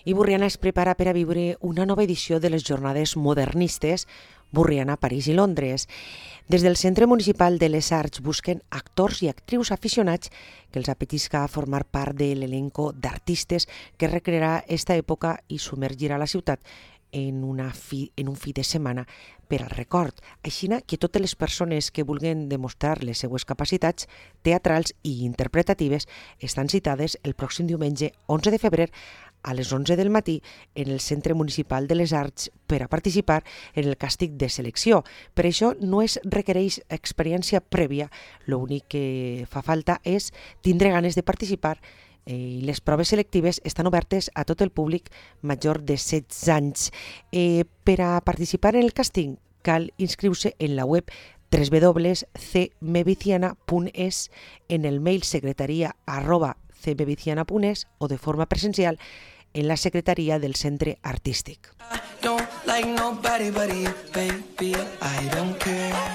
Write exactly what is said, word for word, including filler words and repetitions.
I Burriana es prepara per a viure una nova edició de les jornades modernistes Burriana, París i Londres. Des del Centre Municipal de les Arts busquen actors i actrius aficionats que els apetisca formar part de l'elenco d'artistes que recrearà esta època i submergirà la ciutat en, una fi, en un fi de setmana per al record. Així que totes les persones que vulguin demostrar les seues capacitats teatrals i interpretatives estan citades el pròxim diumenge onze de febrer a les onze del matí en el Centre Municipal de les Arts per a participar en el càstig de selecció. Per això no es requereix experiència prèvia, l'únic que fa falta és tindre ganes de participar i les proves selectives estan obertes a tot el públic major de setze anys. Eh, per a participar en el càsting cal inscriure en la web w w w punt c meviciana punt es, en el mail secretaria arroba c meviciana punt es o de forma presencial en la secretaria del centre artístic. I don't like nobody but you, baby, I don't care.